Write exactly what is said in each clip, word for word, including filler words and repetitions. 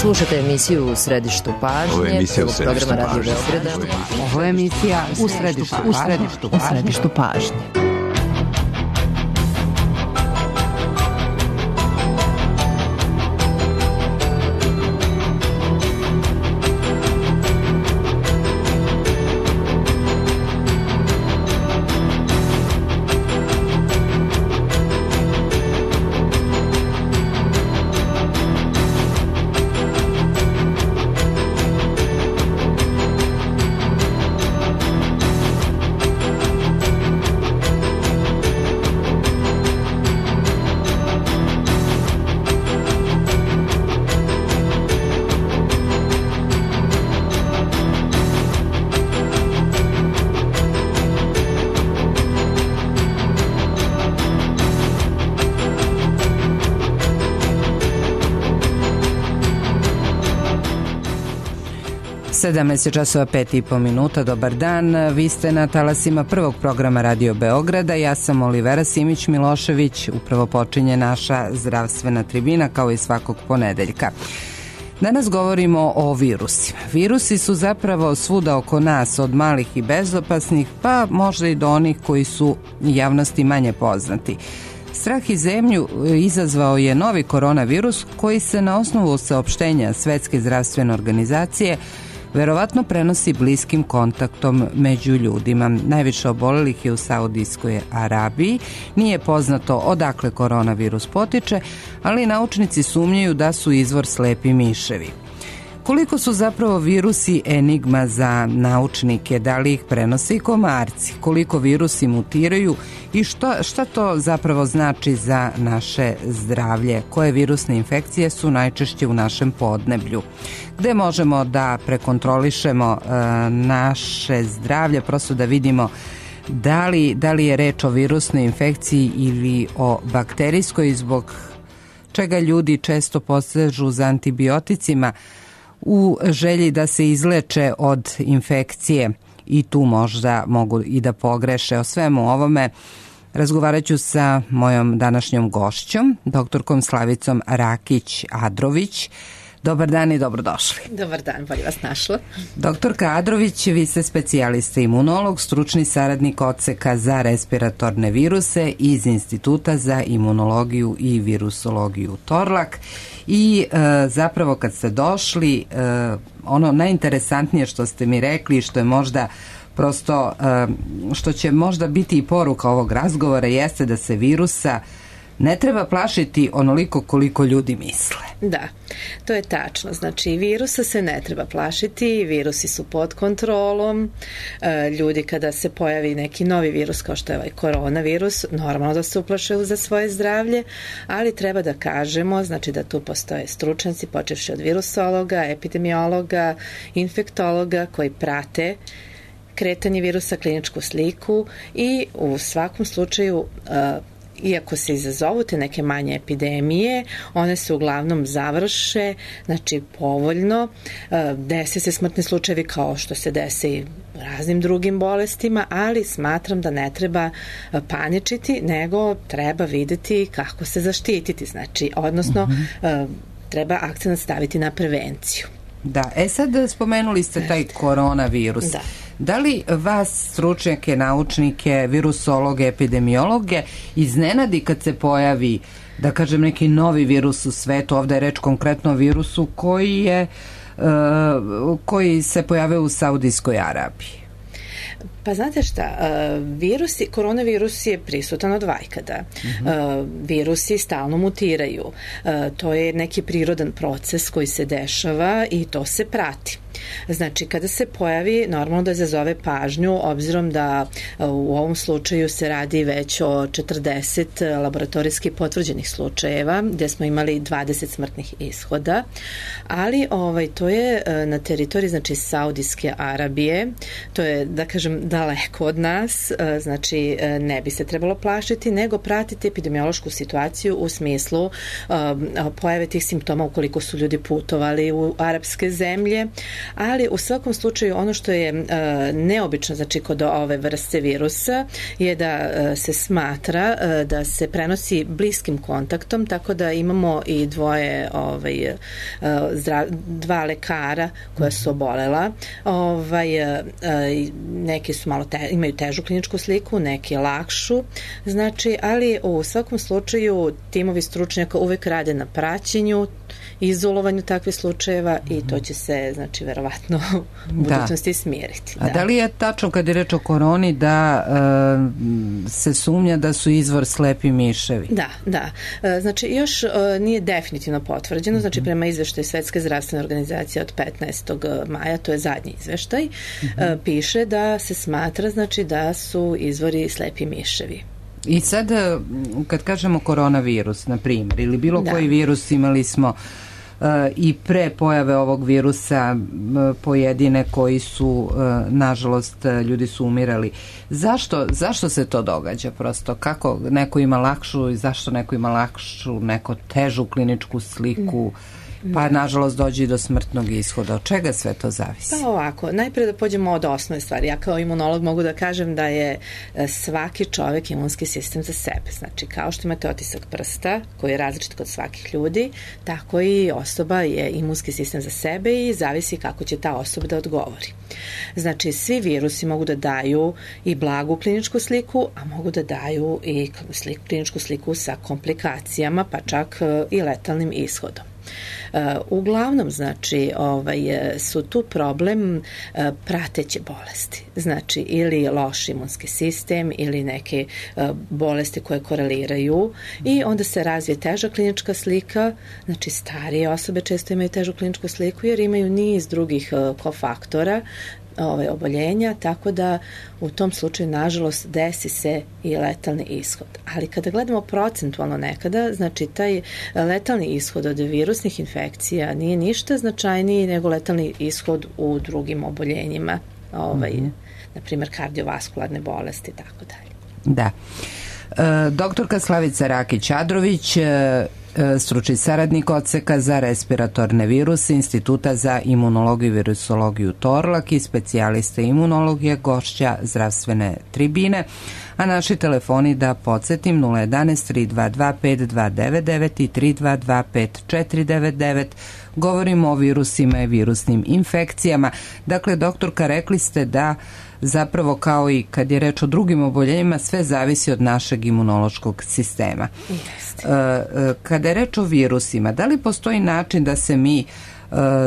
Slušate emisiju U središtu pažnje. Ovo je emisija U središtu pažnje. Radio Beograda. Ovo je emisija U središtu pažnje. U središtu pažnje. U središtu pažnje. sedamnaest časova pet i po minuta, dobar dan. Vi ste na talasima prvog programa Radio Beograda. Ja sam Olivera Simić-Milošević. Upravo počinje naša zdravstvena tribina kao i svakog ponedeljka. Danas govorimo o virusima. Virusi su zapravo svuda oko nas, od malih i bezopasnih, pa možda i do onih koji su javnosti manje poznati. Strah i zemlju izazvao je novi koronavirus koji se na osnovu saopštenja Svetske zdravstvene organizacije verovatno prenosi bliskim kontaktom među ljudima. Najviše obolelih je u Saudijskoj Arabiji. Nije poznato odakle koronavirus potiče, ali naučnici sumnjaju da su izvor slepi miševi. Koliko su zapravo virusi enigma za naučnike, da li ih prenose i komarci, koliko virusi mutiraju i šta, šta to zapravo znači za naše zdravlje, koje virusne infekcije su najčešće u našem podneblju, gde možemo da prekontrolišemo e, naše zdravlje, prosto da vidimo da li, da li je reč o virusnoj infekciji ili o bakterijskoj, zbog čega ljudi često posežu za antibioticima u želji da se izleče od infekcije i tu možda mogu i da pogreše. O svemu ovome razgovarat ću sa mojom današnjom gošćom, doktorkom Slavicom Rakić-Adrović. Dobar dan i dobrodošli. Dobar dan, bolje vas našla. Doktorka Adrović, vi ste specijalista imunolog, stručni saradnik odseka za respiratorne viruse iz Instituta za imunologiju i virusologiju Torlak. I e, zapravo kad ste došli, e, ono najinteresantnije što ste mi rekli, što je možda prosto, e, što će možda biti i poruka ovog razgovora, jeste da se virusa ne treba plašiti onoliko koliko ljudi misle. Da, to je tačno. Znači, virusa se ne treba plašiti, virusi su pod kontrolom. E, ljudi kada se pojavi neki novi virus kao što je ovaj koronavirus, normalno da se uplašaju za svoje zdravlje, ali treba da kažemo, znači da tu postoje stručnjaci, počevši od virusologa, epidemiologa, infektologa koji prate kretanje virusa, kliničku sliku i u svakom slučaju e, iako se izazovu te neke manje epidemije, one se uglavnom završe, znači povoljno, dese se smrtni slučajevi kao što se dese i raznim drugim bolestima, ali smatram da ne treba paničiti, nego treba videti kako se zaštititi, znači, odnosno uh-huh. treba akcent staviti na prevenciju. Da, e sad spomenuli ste taj koronavirus. Da. Da li vas, stručnjake, naučnike, virusologe, epidemiologe, iznenadi kad se pojavi, da kažem, neki novi virus u svetu? Ovdje je reč konkretno o virusu koji je, uh, koji se pojavio u Saudijskoj Arabiji. Pa znate šta, virusi, koronavirus je prisutan od vajkada. Uh-huh. Virusi stalno mutiraju. To je neki prirodan proces koji se dešava i to se prati. Znači, kada se pojavi, normalno da izazove pažnju, obzirom da u ovom slučaju se radi već o četrdeset laboratorijski potvrđenih slučajeva, gde smo imali dvadeset smrtnih ishoda, ali ovaj, to je na teritoriji, znači, Saudijske Arabije, to je, da kažem, daleko od nas, znači, ne bi se trebalo plašiti, nego pratiti epidemiološku situaciju u smislu um, pojave tih simptoma ukoliko su ljudi putovali u arapske zemlje, ali u svakom slučaju ono što je uh, neobično, znači kod ove vrste virusa je da uh, se smatra uh, da se prenosi bliskim kontaktom, tako da imamo i dvoje ovaj, uh, zdra, dva lekara koja su obolela, ovaj, uh, neki su malo te, imaju težu kliničku sliku, neki lakšu, znači, ali u svakom slučaju timovi stručnjaka uvek rade na praćenju, izolovanju takvih slučajeva i to će se, znači, verovatno u budućnosti da. smiriti. Da. A da li je tačno kad je reč o koroni da e, se sumnja da su izvor slepi miševi? Da, da. E, znači, još e, nije definitivno potvrđeno, znači, prema izveštaju Svetske zdravstvene organizacije od petnaestog maja, to je zadnji izveštaj, e, piše da se smatra, znači, da su izvori slepi miševi. I sad, kad kažemo koronavirus, na primjer, ili bilo da. koji virus, imali smo uh, i pre pojave ovog virusa uh, pojedine koji su, uh, nažalost, ljudi su umirali. Zašto, zašto se to događa prosto? Kako neko ima lakšu i zašto neko ima lakšu, neko težu kliničku sliku? Pa, nažalost, dođe i do smrtnog ishoda. Od čega sve to zavisi? Pa ovako, najpre da pođemo od osnovne stvari. Ja kao imunolog mogu da kažem da je svaki čovek imunski sistem za sebe. Znači, kao što imate otisak prsta, koji je različit kod svakih ljudi, tako i osoba je imunski sistem za sebe i zavisi kako će ta osoba da odgovori. Znači, svi virusi mogu da daju i blagu kliničku sliku, a mogu da daju i sliku, kliničku sliku sa komplikacijama, pa čak i letalnim ishodom. Uh, uglavnom, znači, ovaj, su tu problem uh, prateće bolesti. Znači, ili loš imunski sistem ili neke uh, bolesti koje koreliraju i onda se razvije teža klinička slika. Znači, starije osobe često imaju težu kliničku sliku jer imaju niz drugih uh, kofaktora Ove, oboljenja, tako da u tom slučaju, nažalost, desi se i letalni ishod. Ali kada gledamo procentualno nekada, znači taj letalni ishod od virusnih infekcija nije ništa značajniji nego letalni ishod u drugim oboljenjima, ovaj, mm-hmm. na primjer kardiovaskularne bolesti i tako dalje. Da. E, doktorka Slavica Rakić-Adrović, e, stručni saradnik odseka za respiratorne viruse Instituta za imunologiju i virusologiju Torlak i specijaliste imunologije, gošća zdravstvene tribine, a naši telefoni, da podsjetim, nula jedanaest tri dva dva pet dva devet devet i tri dva dva pet četiri devet devet. Govorimo o virusima i virusnim infekcijama. Dakle, doktorka, rekli ste da zapravo, kao i kad je reč o drugim oboljenjima, sve zavisi od našeg imunološkog sistema. Jeste. Kada je reč o virusima, da li postoji način da se mi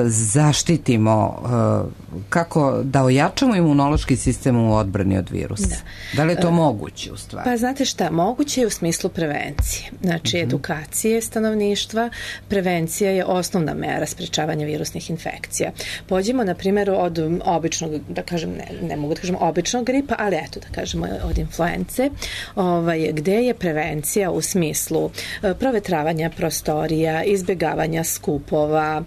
zaštitimo, kako da ojačamo imunološki sistem u odbrani od virusa? Da. Da li je to moguće u stvari? Pa znate šta, moguće je u smislu prevencije. Znači, uh-huh. edukacije stanovništva. Prevencija je osnovna mera sprečavanja virusnih infekcija. Pođimo, na primjer, od običnog, da kažem, ne, ne mogu da kažem običnog gripa, ali eto, da kažemo od influence, ovaj, gde je prevencija u smislu provetravanja prostorija, izbjegavanja skupova,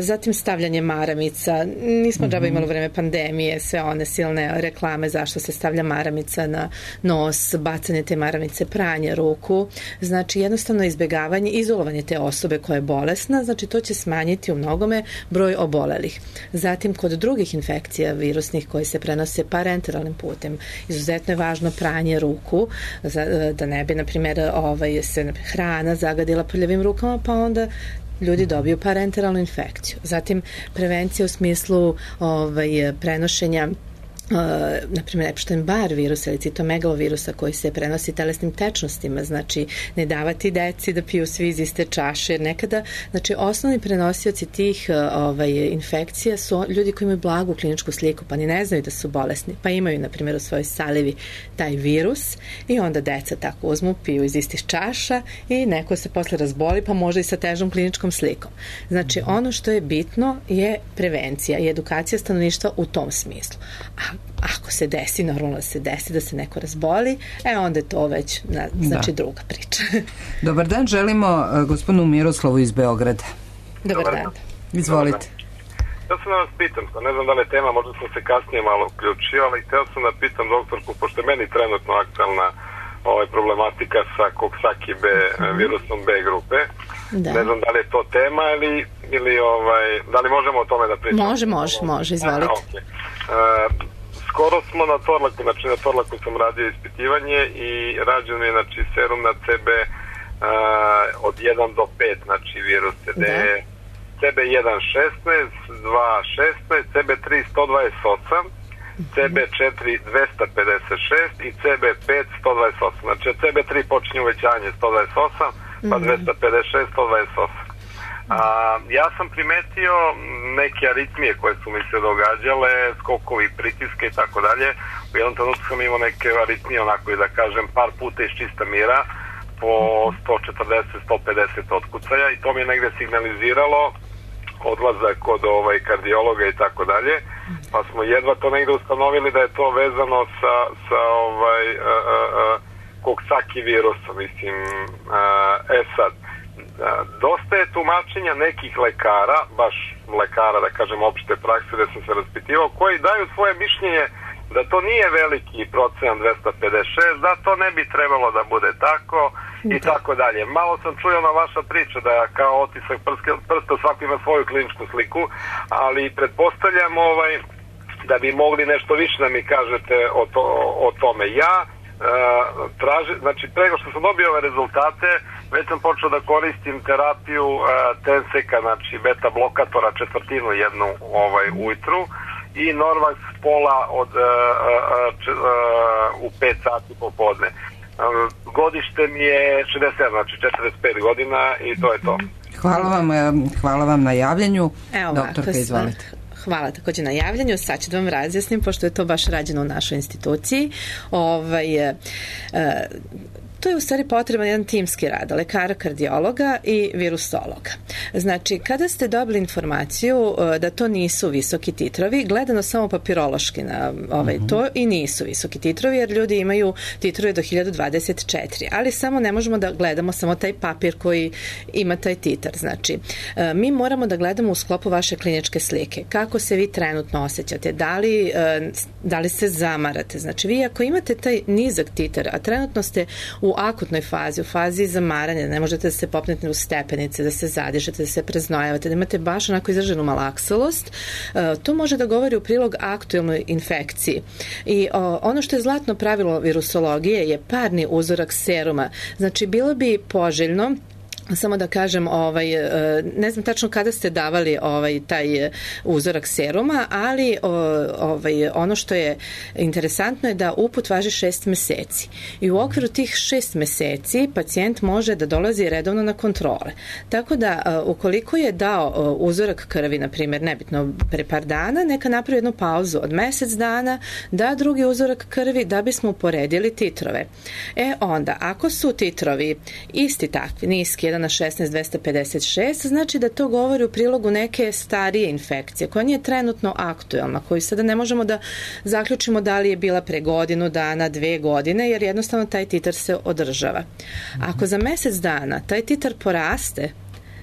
zatim stavljanje maramica. Nismo džaba imali u vreme pandemije sve one silne reklame zašto se stavlja maramica na nos, bacanje te maramice, pranje ruku. Znači, jednostavno izbjegavanje, izolovanje te osobe koja je bolesna, znači to će smanjiti u mnogome broj obolelih. Zatim, kod drugih infekcija virusnih koji se prenose parenteralnim putem, izuzetno je važno pranje ruku, da ne bi, na primjer, ovaj, se hrana zagadila prljavim rukama, pa onda ljudi dobiju parenteralnu infekciju. Zatim, prevencija u smislu ovaj, prenošenja Uh, na primjer Epstein-Barr virusa ili citomegalovirusa koji se prenosi telesnim tečnostima, znači ne davati deci da piju svi iz iste čaše, jer nekada, znači osnovni prenosioci tih uh, ovaj, infekcija su ljudi koji imaju blagu kliničku sliku, pa ni ne znaju da su bolesni, pa imaju, na primjer, u svojoj salivi taj virus i onda deca tako uzmu, piju iz istih čaša i neko se posle razboli, pa može i sa težom kliničkom slikom. Znači, ono što je bitno je prevencija i edukacija stanovništva u tom smislu. A ako se desi, normalno se desi da se neko razboli, e onda je to već na, znači da. druga priča. Dobar dan, želimo uh, gospodinu Miroslavu iz Beograda. Dobar, Dobar dan. Izvolite. Ja sam da vas pitam, ne znam da li je tema, možda sam se kasnije malo uključio, ali htio sam da pitam doktorku, pošto je meni trenutno aktualna ovaj, problematika sa Coxsackie B, mm-hmm. virusom B grupe, Da. Ne znam da li je to tema ili, ili ovaj, da li možemo o tome da pričamo? Može, može, može, izvolite. A, okay. uh, skoro smo na Torlaku, znači na Torlaku sam radio ispitivanje i rađen je znači, serum na C B uh, od jedan do pet, znači viruse, gde je C B jedan šesnaest, dva šesnaest, C B tri sto dvadeset osam, C B četiri dvesta pedeset šest i C B pet sto dvadeset osam. Znači C B tri počinje uvećanje sto dvadeset osam, pa dvesta pedeset šest, sto dvadeset osam. A, ja sam primetio neke aritmije koje su mi se događale, skokovi, pritiske i tako dalje. U jednom trenutku sam imao neke aritmije, onako i da kažem, par puta iz čista mira, po sto četrdeset do sto pedeset otkucaja i to mi je negde signaliziralo odlazak kod ovaj, kardiologa i tako dalje, pa smo jedva to negde ustanovili da je to vezano sa, sa ovaj, a, a, a, Coxsackie virusom, mislim, a, e sad, a, dosta je tumačenja nekih lekara, baš lekara, da kažem, opšte prakse, da sam se raspitivao, koji daju svoje mišljenje da to nije veliki procenat dvesta pedeset šest, da to ne bi trebalo da bude tako i tako dalje. Malo sam čuo na vaša priča da kao otisak prsta svako ima svoju kliničku sliku, ali pretpostavljam ovaj, da bi mogli nešto više da mi kažete o, to, o tome. Ja uh, tražim, znači prego što sam dobio ove rezultate, već sam počeo da koristim terapiju uh, Tenseka, znači beta blokatora četvrtinu jednu ovaj, ujutru i Norvax pola od, uh, uh, uh, u pet sati popodne. Uh, godište mi je šezdeset sedam, znači četrdeset pet godina i to je to. Hvala vam, hvala vam na javljanju. Evo, doktorka, izvolite. Hvala također na javljanju. Sad ću da vam razjasnim, pošto je to baš rađeno u našoj instituciji. Ovaj, e, to je u stvari potreban jedan timski rad, lekara, kardiologa i virusologa. Znači, kada ste dobili informaciju da to nisu visoki titrovi, gledano samo papirološki na ovaj, uh-huh. to i nisu visoki titrovi, jer ljudi imaju titrove do hiljadu dvadeset četiri, ali samo ne možemo da gledamo samo taj papir koji ima taj titar. Znači, mi moramo da gledamo u sklopu vaše kliničke slike. Kako se vi trenutno osjećate? Da li, da li se zamarate? Znači, vi ako imate taj nizak titar, a trenutno ste u akutnoj fazi, u fazi zamaranja, ne možete da se popnete u stepenice, da se zadišete, da se preznojavate, da imate baš onako izraženu malaksalost, to može da govori u prilog aktuelnoj infekciji. I ono što je zlatno pravilo virusologije je parni uzorak seruma. Znači, bilo bi poželjno, samo da kažem, ovaj, ne znam tačno kada ste davali ovaj, taj uzorak seruma, ali ovaj, ono što je interesantno je da uput važi šest meseci. I u okviru tih šest meseci pacijent može da dolazi redovno na kontrole. Tako da, ukoliko je dao uzorak krvi, na primjer, nebitno pre par dana, neka napravi jednu pauzu od mesec dana, da drugi uzorak krvi, da bismo uporedili titrove. E onda, ako su titrovi isti takvi, niski, jedan na šesnaest dvesta pedeset šest, znači da to govori u prilogu neke starije infekcije, koja nije trenutno aktuelna, koju sada ne možemo da zaključimo da li je bila pre godinu dana, dve godine, jer jednostavno taj titar se održava. Ako za mesec dana taj titar poraste,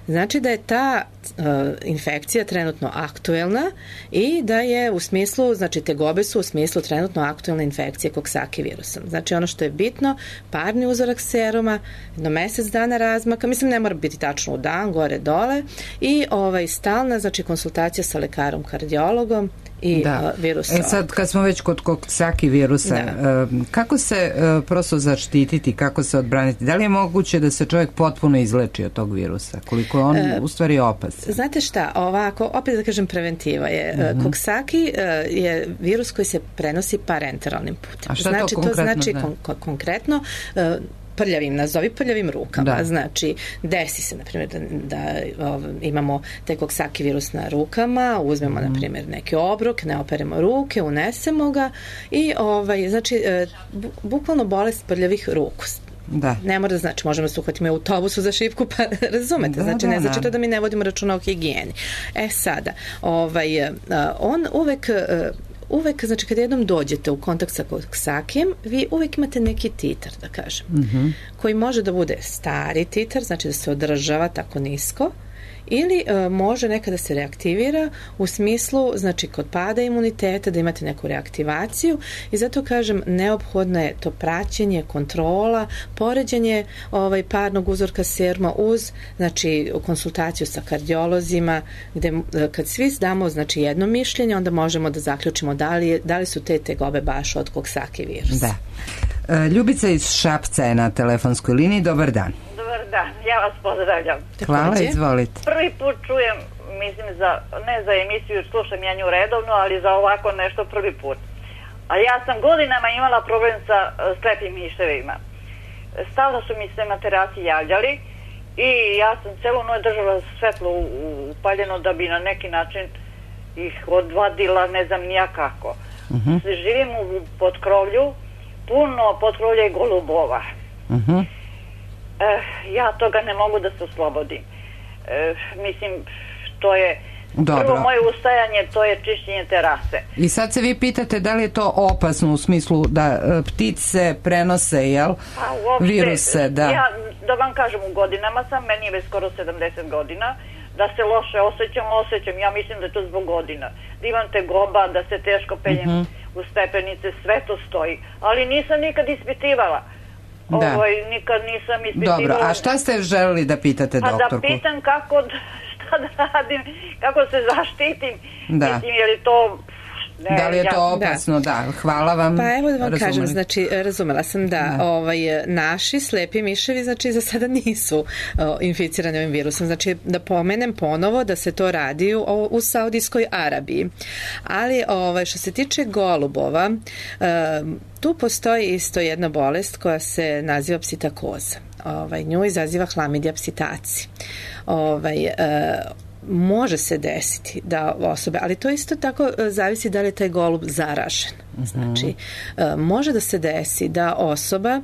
znači da je ta uh, infekcija trenutno aktuelna i da je u smislu, znači tegobe su u smislu trenutno aktuelne infekcije Coxsackie virusom. Znači ono što je bitno, parni uzorak seruma, jedno mesec dana razmaka, mislim ne mora biti tačno u dan, gore, dole, i ovaj, stalna, znači konsultacija sa lekarom, kardiologom i da. virusa. E sad, kad smo već kod Coxsackie virusa, da. kako se prosto zaštititi, kako se odbraniti? Da li je moguće da se čovjek potpuno izleči od tog virusa? Koliko je on e, u stvari opasan? Znate šta, ovako, opet da kažem, preventiva je. Mm-hmm. Coxsackie je virus koji se prenosi parenteralnim putem. A šta znači, to konkretno? To znači kon- konkretno prljavim, nazovi prljavim rukama. Da. Znači, desi se, na primjer, da, da o, imamo taj Coxsackie virus na rukama, uzmemo, mm. na primjer, neki obrok, ne operemo ruke, unesemo ga i, ovaj, znači, bu, bukvalno bolest prljavih ruku. Da. Ne mora da znači, možemo se uhvatiti u autobusu za šipku, pa razumete, da, znači ne znači to da mi ne vodimo računa o higijeni. E sada, ovaj, on uvek uvek, znači kad jednom dođete u kontakt sa Coxsackiem, vi uvek imate neki titar, da kažem, mm-hmm. koji može da bude stari titar, znači da se održava tako nisko, ili e, može nekada se reaktivira u smislu, znači kod pada imuniteta da imate neku reaktivaciju i zato kažem neophodno je to praćenje, kontrola, poređenje ovaj, parnog uzorka seruma uz znači konsultaciju sa kardiolozima gde kad svi damo znači jedno mišljenje onda možemo da zaključimo da li, je, da li su te tegobe baš od Coxsackie virusa. Da. E, Ljubica iz Šapca je na telefonskoj liniji. Dobar dan. Dobar dan, ja vas pozdravljam. Hvala, izvolite. Prvi put čujem, mislim, za, ne za emisiju, slušam ja nju redovno, ali za ovako nešto prvi put. A ja sam godinama imala problem sa uh, slepim miševima. Stalno su mi se na terasi javljali i ja sam celu noć držala svetlo upaljeno da bi na neki način ih odvadila, ne znam nija kako. Uh-huh. Živim u potkrovlju, puno potkrovlja i golubova. Uh-huh. Eh, ja toga ne mogu da se oslobodim. Eh, mislim, to je Dobro. Prvo moje ustajanje, to je čišćenje terase. I sad se vi pitate da li je to opasno u smislu da e, ptice prenose, jel? Pa, uopšte, viruse, da. Ja, da vam kažem, u godinama sam, meni je već skoro sedamdeset godina, da se loše osjećam, osjećam, ja mislim da je to zbog godina. Da imam tegoba, da se teško penjem uh-huh. u stepenice, sve to stoji. Ali nisam nikad ispitivala. Da. Ovaj, nikad nisam ispitivala. Dobro, a šta ste želeli da pitate pa doktorku? Pa da pitam kako, šta da radim, kako se zaštitim. Da. Mislim, je li to... Ne, da li je to ja, opasno, da. da. Hvala vam. Pa evo da vam razumeli. kažem, znači, razumela sam da, da. Ovaj, naši slepi miševi, znači, za sada nisu o, inficirani ovim virusom. Znači, da pomenem ponovo da se to radi u, u Saudijskoj Arabiji. Ali, ovaj, što se tiče golubova, um, tu postoji isto jedna bolest koja se naziva psitakoza. Ovaj, nju izaziva Chlamydia psittaci. Ovaj, uh, može se desiti da osobe, ali to isto tako zavisi da li je taj golub zaražen. Mm-hmm. Znači, može da se desi da osoba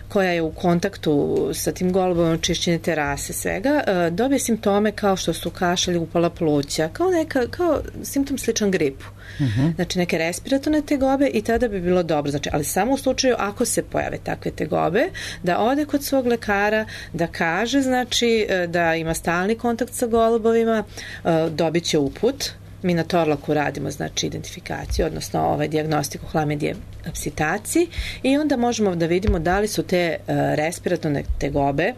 koja je u kontaktu sa tim golubom, čišćenje terase, svega, dobije simptome kao što su kašalj, upala pluća, kao, neka, kao simptom sličan gripu. Mm-hmm. Znači, neke respiratorne tegobe i tada bi bilo dobro. Znači, ali samo u slučaju ako se pojave takve tegobe, da ode kod svog lekara, da kaže, znači, da ima stalni kontakt sa golubovima, dobit će uput. Mi na Torlaku radimo, znači, identifikaciju, odnosno ovaj, dijagnostiku Chlamydie psittaci i onda možemo da vidimo da li su te uh, respiratorne tegobe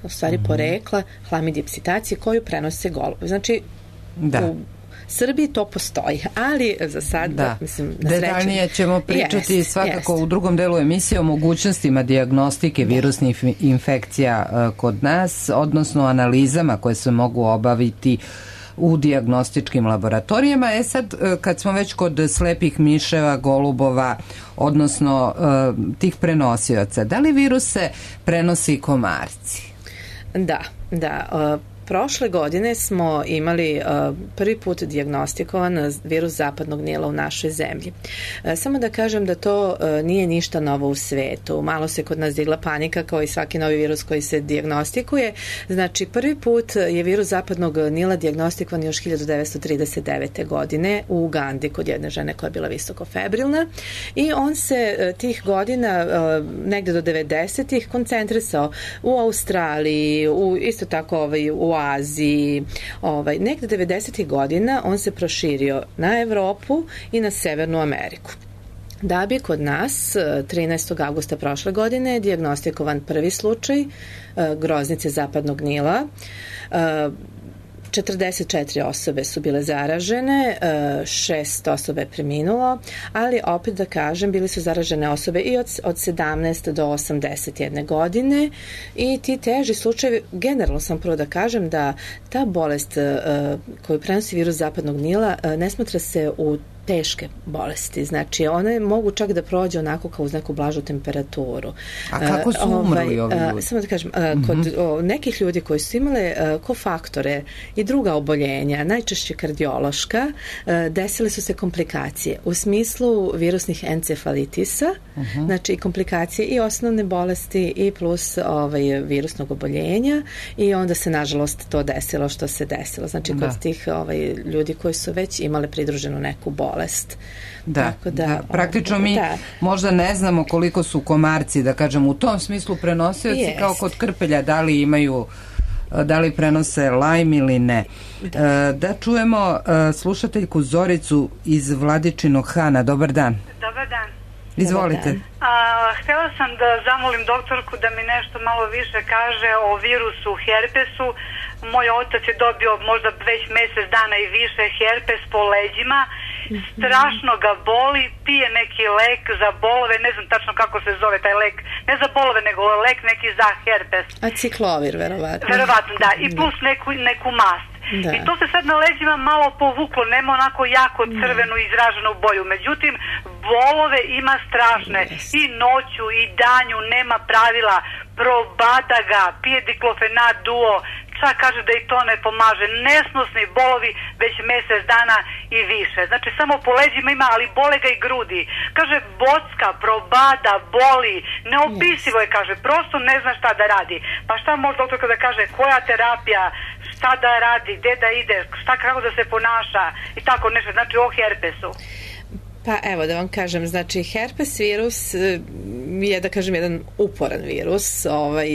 u stvari mm-hmm. porekla Chlamydie psittaci koju prenose golubovi. Znači, da. u Srbiji to postoji, ali za sad, da. mislim, na sreću... Detaljnije ćemo pričati jest, svakako jest. u drugom delu emisije o mogućnostima dijagnostike da. virusnih infekcija uh, kod nas, odnosno analizama koje se mogu obaviti u dijagnostičkim laboratorijama. E sad, kad smo već kod slepih miševa, golubova, odnosno tih prenosioca, da li viruse prenosi komarci? Da, da. Prošle godine smo imali uh, prvi put dijagnostikovan virus zapadnog Nila u našoj zemlji. Uh, samo da kažem da to uh, nije ništa novo u svetu. Malo se kod nas digla panika kao i svaki novi virus koji se dijagnostikuje. Znači, prvi put je virus zapadnog Nila dijagnostikovan još hiljadu devetsto trideset devete. godine u Ugandi kod jedne žene koja je bila visoko febrilna i on se uh, tih godina uh, negde do devedesetih koncentrisao u Australiji, u, isto tako ovaj, u Aziji, ovaj, negde devedesetih godina on se proširio na Evropu i na Severnu Ameriku. Da bi kod nas trinaestog avgusta prošle godine dijagnostikovan prvi slučaj uh, groznice zapadnog Nila. Uh, četrdeset četiri osobe su bile zaražene, šest osobe je preminulo, ali opet da kažem, bili su zaražene osobe i od, od sedamnaeste do osamdeset jedne godine i ti teži slučajevi, generalno sam prvo da kažem da ta bolest koju prenosi virus zapadnog Nila ne smatra se u teške bolesti. Znači, one mogu čak da prođe onako kao uz neku blažu temperaturu. A kako su umrli ovi ljudi? Samo da kažem, kod mm-hmm. o, nekih ljudi koji su imale uh, kofaktore i druga oboljenja, najčešće kardiološka, uh, desile su se komplikacije u smislu virusnih encefalitisa, mm-hmm. znači i komplikacije i osnovne bolesti i plus ovaj, virusnog oboljenja i onda se, nažalost, to desilo što se desilo. Znači, kod da. tih ovaj, ljudi koji su već imale pridruženu neku bolest. Da, Tako da, da, praktično mi da. možda ne znamo koliko su komarci, da kažem, u tom smislu prenosioci, jest. kao kod krpelja, da li imaju da li prenose Lyme ili ne. Da, da čujemo slušateljku Zoricu iz Vladičinog Hana. Dobar dan. Dobar dan. Izvolite. A, htjela sam da zamolim doktorku da mi nešto malo više kaže o virusu herpesu. Moj otac je dobio možda već mjesec dana i više herpes po leđima. Strašno ga boli, pije neki lek za bolove, ne znam tačno kako se zove taj lek, ne za bolove nego lek neki za herpes. Aciklovir, verovatno. Verovatno, da, i plus neku, neku mast. Da. I to se sad na leđima malo povuklo, nema onako jako crvenu izraženu boju, međutim bolove ima strašne, yes. I noću i danju nema pravila, probada ga, pije diklofenat duo, čak kaže da i to ne pomaže, nesnosni bolovi već mjesec dana i više, znači samo po leđima ima, ali bole ga i grudi, kaže bocka, probada, boli, neopisivo je, kaže, prosto ne zna šta da radi, pa šta može doktorka da kaže, koja terapija, šta da radi, gde da ide, šta, kako da se ponaša i tako nešto, znači o herpesu. Pa evo da vam kažem, znači herpes virus je, da kažem, jedan uporan virus, ovaj,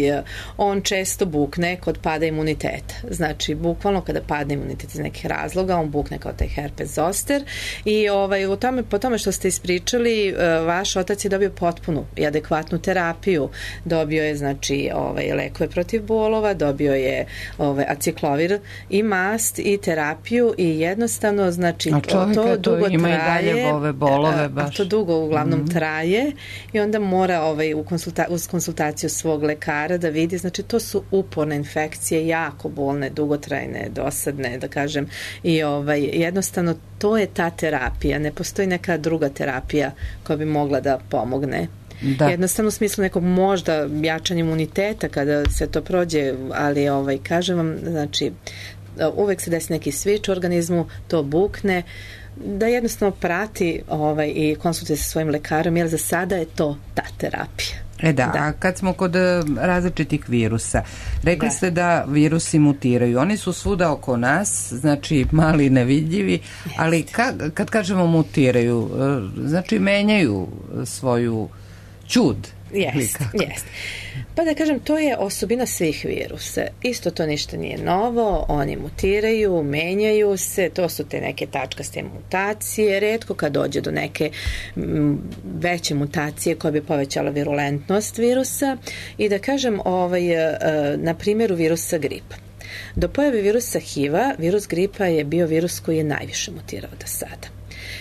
on često bukne kod pada imuniteta, znači bukvalno kada padne imunitet iz nekih razloga, on bukne kao taj herpes zoster i ovaj, u tome, po tome što ste ispričali, vaš otac je dobio potpunu i adekvatnu terapiju, dobio je znači ovaj, lekove protiv bolova, dobio je ovaj, aciklovir i mast i terapiju i jednostavno znači a čovjek to dugo ima traje, i dalje ove bolove baš. A to dugo uglavnom mm-hmm. traje i onda mora ovaj, u konsulta- uz konsultaciju svog lekara da vidi, znači to su uporne infekcije, jako bolne, dugotrajne, dosadne, da kažem, i ovaj, jednostavno to je ta terapija, ne postoji neka druga terapija koja bi mogla da pomogne. Da. Jednostavno u smislu nekog možda jačanja imuniteta kada se to prođe, ali ovaj, kažem vam, znači uvek se desi neki switch u organizmu, to bukne, da jednostavno prati ovaj, i konsultuje sa svojim lekarom, jer za sada je to ta terapija. E da, da, a kad smo kod različitih virusa, rekli da. ste da virusi mutiraju, oni su svuda oko nas, znači mali, nevidljivi, ali kad, kad kažemo mutiraju, znači menjaju svoju ćud. Jeste, jeste. Pa da kažem, to je osobina svih virusa. Isto to ništa nije novo, oni mutiraju, menjaju se, to su te neke tačkaste mutacije, retko kad dođe do neke m, veće mutacije koja bi povećala virulentnost virusa i da kažem, ovaj, na primjeru virusa gripa. Do pojave virusa H I V-a, virus gripa je bio virus koji je najviše mutirao do sada.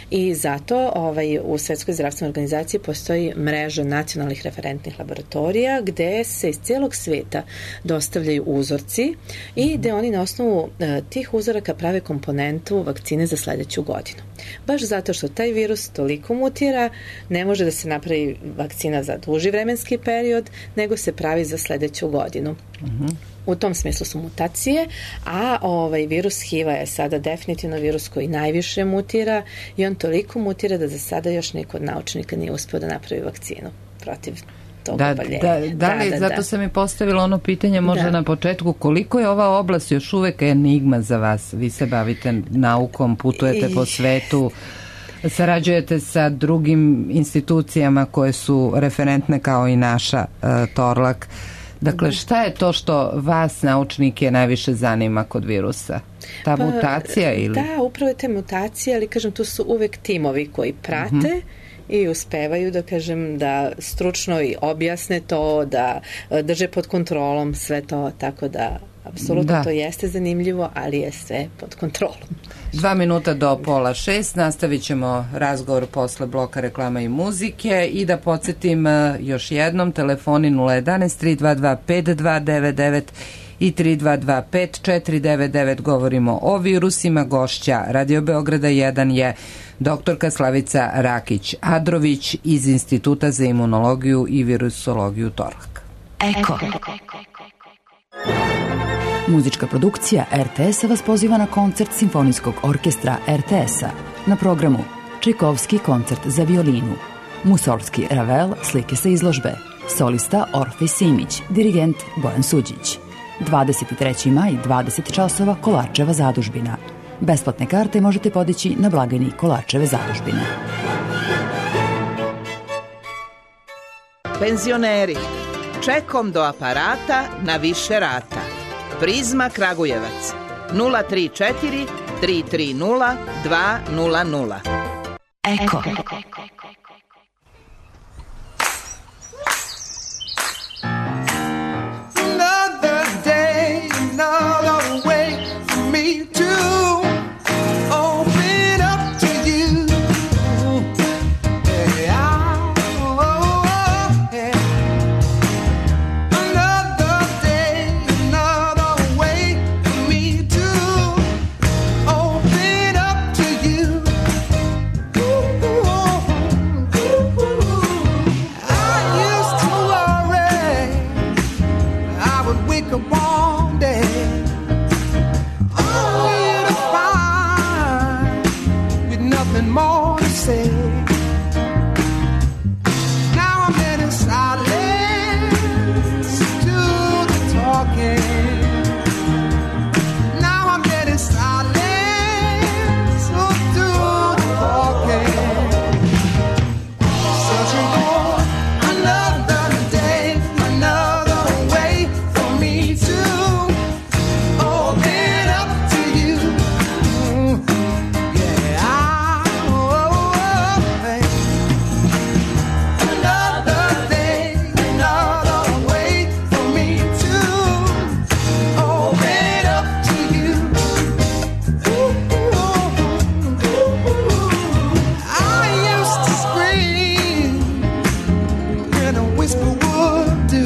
I zato ovaj, u Svetskoj zdravstvenoj organizaciji postoji mreža nacionalnih referentnih laboratorija gde se iz cijelog sveta dostavljaju uzorci i gde oni na osnovu e, tih uzoraka prave komponentu vakcine za sledeću godinu. Baš zato što taj virus toliko mutira, ne može da se napravi vakcina za duži vremenski period, nego se pravi za sledeću godinu. Uh-huh. U tom smislu su mutacije, a ovaj virus H I V-a je sada definitivno virus koji najviše mutira i on toliko mutira da za sada još niko od naučnika nije uspeo da napravi vakcinu protiv tog da, oboljenja. Da, da li, da, da, zato da. sam i postavila ono pitanje možda da. na početku, koliko je ova oblast još uvek enigma za vas? Vi se bavite naukom, putujete I... po svetu, sarađujete sa drugim institucijama koje su referentne kao i naša uh, Torlak. Dakle, šta je to što vas, naučnike, najviše zanima kod virusa? Ta pa, mutacija ili? Da, upravo je te mutacije, ali kažem, tu su uvek timovi koji prate uh-huh. i uspevaju da kažem da stručno i objasne to, da drže pod kontrolom sve to, tako da apsolutno da. to jeste zanimljivo, ali je sve pod kontrolom. Dva minuta do pola šest, nastavit ćemo razgovor posle bloka reklama i muzike i da podsjetim još jednom, telefoni nula jedanaest tri dva dva pet dva devet devet i tri dva dva pet četiri devet devet. Govorimo o virusima. Gošća Radio Beograda jedan je doktorka Slavica Rakić-Adrović iz Instituta za imunologiju i virusologiju Torlak. Eko. Muzička produkcija R T S-a vas poziva na koncert Simfonijskog orkestra R T S-a. Na programu Čajkovski koncert za violinu, Musorgski Ravel, slike sa izložbe, solista Orfej Simić, dirigent Bojan Suđić. dvadeset trećeg maja, dvadeset časova, Kolarčeva zadužbina. Besplatne karte možete podići na blagajni Kolarčeve zadužbine. Penzioneri, čekom do aparata na više rata. Prizma Kragujevac nula tri četiri tri tri nula dva nula nula. Eko. Another day, another way for me to open up to you. Yeah, oh, oh, yeah. Another day, another way for me to open up to you. Ooh, ooh, ooh. I used to worry I would wake up one day only to find with nothing more to say. Now I'm in a silence to the talking. Now I'm in a silence to the talking. Searching for another day, another way for me to open up to you. Yeah, I, oh, oh, hey. Another day, another way for me to open up to you. Ooh, ooh, ooh. I used to scream and a whisper would do.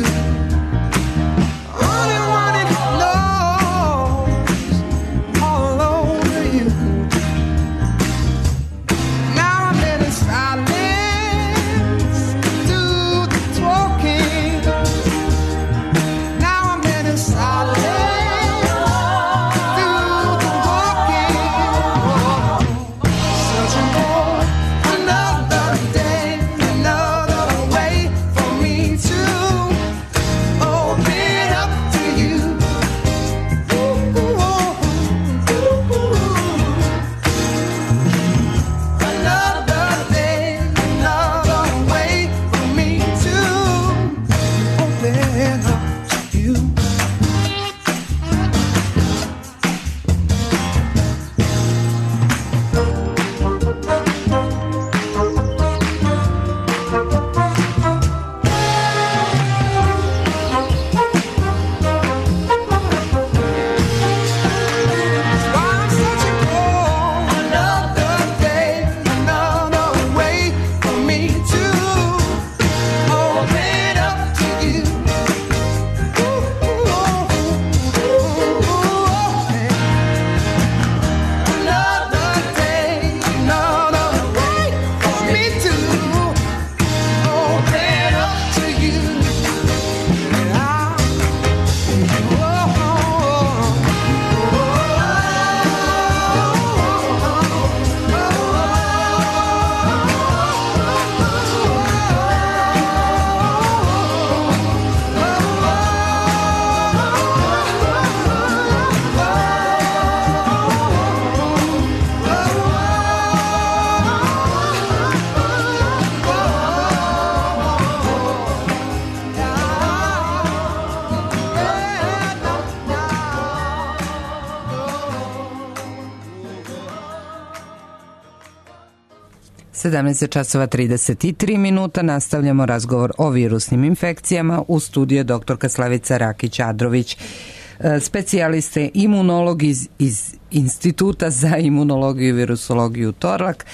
Only wanted knows all over you. Now I'm in a silence to the talking. Now I'm in a silence to the walking. Searching for another day, another way for me to open up to you. Ooh, ooh, ooh, ooh. Another day, another way for me to open up to you. Why I'm searching for another day, another way for me to open up to you. Ooh, ooh, ooh, hey. Another day, another way for me to open up to you. And I, sedamnaest časova trideset tri minuta, nastavljamo razgovor o virusnim infekcijama. U studiju je doktorka Slavica Rakić-Adrović, specijaliste imunolog iz, iz Instituta za imunologiju i virusologiju Torlak.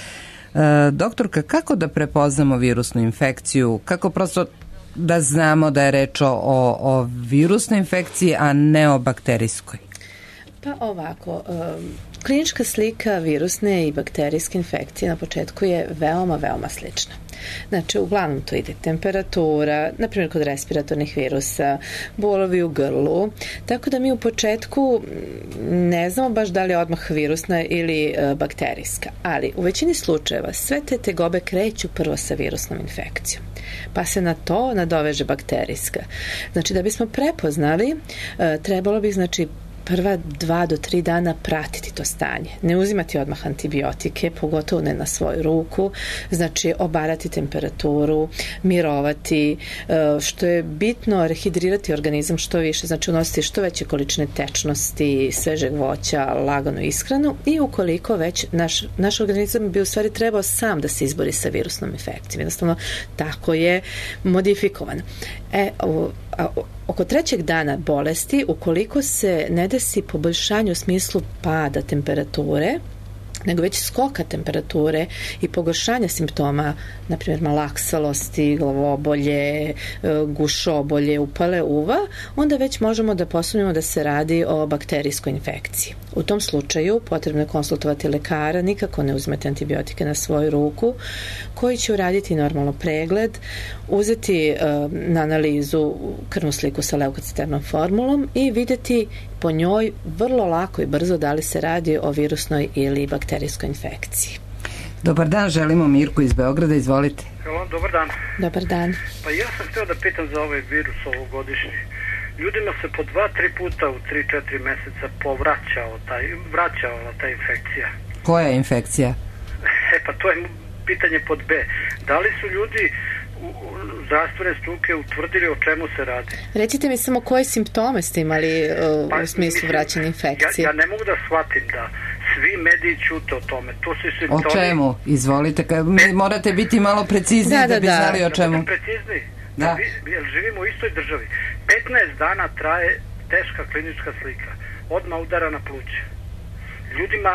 Doktorka, kako da prepoznamo virusnu infekciju? Kako prosto da znamo da je reč o, o virusnoj infekciji, a ne o bakterijskoj? Pa ovako, um, klinička slika virusne i bakterijske infekcije na početku je veoma, veoma slična. Znači, uglavnom to ide temperatura, na primjer kod respiratornih virusa, bolovi u grlu, tako da mi u početku ne znamo baš da li je odmah virusna ili e, bakterijska, ali u većini slučajeva sve te tegobe kreću prvo sa virusnom infekcijom, pa se na to nadoveže bakterijska. Znači, da bismo prepoznali, e, trebalo bi, znači, prva dva do tri dana pratiti to stanje. Ne uzimati odmah antibiotike, pogotovo ne na svoju ruku, znači obarati temperaturu, mirovati, što je bitno, rehidrirati organizam što više, znači unositi što veće količine tečnosti, svežeg voća, laganu ishranu i ukoliko već naš, naš organizam bi u stvari trebao sam da se izbori sa virusnom infekcijom. Jednostavno, tako je modifikovan. E, o, a, oko trećeg dana bolesti, ukoliko se ne desi poboljšanje u smislu pada temperature, nego već skoka temperature i pogoršanja simptoma, na primjer malaksalosti, glavobolje, gušobolje, upale uva, onda već možemo da posumnjamo da se radi o bakterijskoj infekciji. U tom slučaju potrebno je konsultovati lekara, nikako ne uzmete antibiotike na svoju ruku, koji će uraditi normalno pregled, uzeti uh, na analizu krvnu sliku sa leukociternom formulom i vidjeti po njoj vrlo lako i brzo da li se radi o virusnoj ili bakterijskoj infekciji. Dobar dan, želimo Mirku iz Beograda, izvolite. Halo, dobar dan. Dobar dan. Pa ja sam htio da pitam za ovaj virus ovogodišnji. Ljudima se po dva, tri puta u tri, četiri meseca povraćao taj, vraćala ta infekcija. Koja je infekcija? E pa to je pitanje pod B. Da li su ljudi zdravstvene struke utvrdili o čemu se radi? Recite mi samo koje simptome ste imali uh, pa, u smislu mislim, vraćanja infekcije. Ja, ja ne mogu da shvatim da svi mediji ćute o tome. To su simptomi... O čemu? Izvolite. Morate biti malo precizniji da, da, da bi znali da. o čemu. Da precizniji. Da. Jer živimo u istoj državi. petnaest dana traje teška klinička slika. Odmah udara na pluće. Ljudima,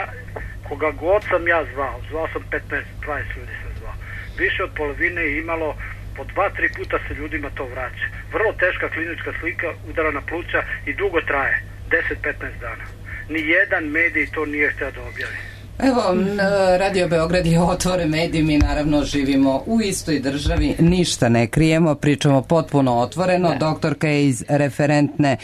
koga god sam ja zvao, zvao sam petnaest dvadeset ljudi sam zvao. Više od polovine je imalo po dva, tri puta se ljudima to vraća. Vrlo teška klinička slika, udara na pluća i dugo traje. deset do petnaest dana. Nijedan medij to nije htio da objavi. Evo, Radio Beograd je otvoren medij, mi naravno živimo u istoj državi, ništa ne krijemo, pričamo potpuno otvoreno. Da. Doktorka je iz referentne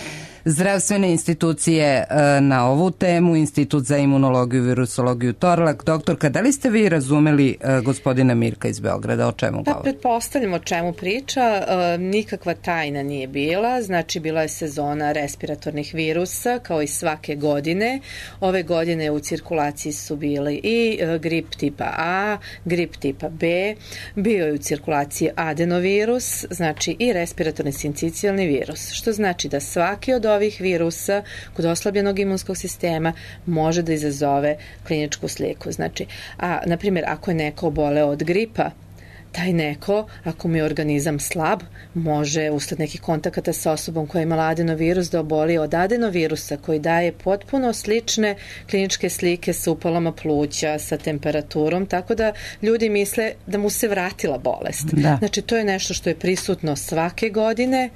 zdravstvene institucije na ovu temu, Institut za imunologiju i virusologiju Torlak. Doktorka, da li ste vi razumeli gospodina Mirka iz Beograda, o čemu govori? Pa, pretpostavljam o čemu priča. Nikakva tajna nije bila, znači bila je sezona respiratornih virusa, kao i svake godine. Ove godine u cirkulaciji su bili i grip tipa A, grip tipa B, bio je u cirkulaciji adenovirus, znači i respiratorni sincicijalni virus, što znači da svaki od ovih virusa kod oslabljenog imunskog sistema može da izazove kliničku sliku. Znači, a, na primjer, ako je neko oboleo od gripa, taj neko, ako mu je organizam slab, može usled nekih kontakata sa osobom koja je imala adenovirus da oboli od adenovirusa koji daje potpuno slične kliničke slike sa upalama pluća, sa temperaturom, tako da ljudi misle da mu se vratila bolest. Da. Znači, to je nešto što je prisutno svake godine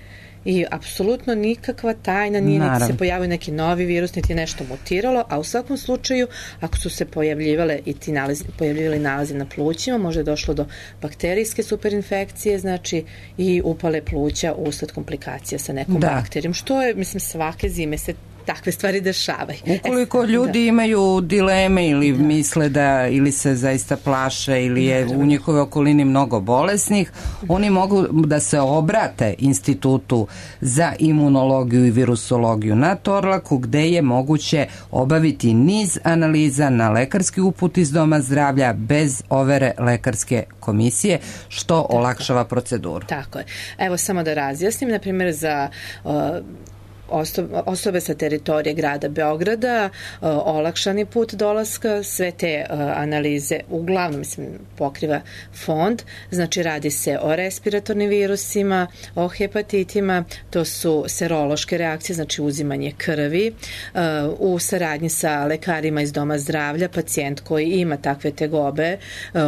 i apsolutno nikakva tajna nije, niti se pojavio neki novi virus, niti nešto mutiralo, a u svakom slučaju, ako su se pojavljivale i ti nalazi, pojavljivali nalazi na plućima, može došlo do bakterijske superinfekcije, znači i upale pluća usled komplikacija sa nekom da. bakterijom, što je, mislim, svake zime se takve stvari dešavaju. Ukoliko ljudi da. imaju dileme ili da. misle da ili se zaista plaše ili je u njihove okolini mnogo bolesnih, oni mogu da se obrate Institutu za imunologiju i virusologiju na Torlaku, gde je moguće obaviti niz analiza na lekarski uput iz doma zdravlja bez overe lekarske komisije, što Tako. olakšava proceduru. Tako je. Evo samo da razjasnim, na primjer za uh, osobe sa teritorije grada Beograda, olakšani put dolaska, sve te analize uglavnom mislim, pokriva fond, znači radi se o respiratornim virusima, o hepatitima, to su serološke reakcije, znači uzimanje krvi, u saradnji sa lekarima iz doma zdravlja, pacijent koji ima takve tegobe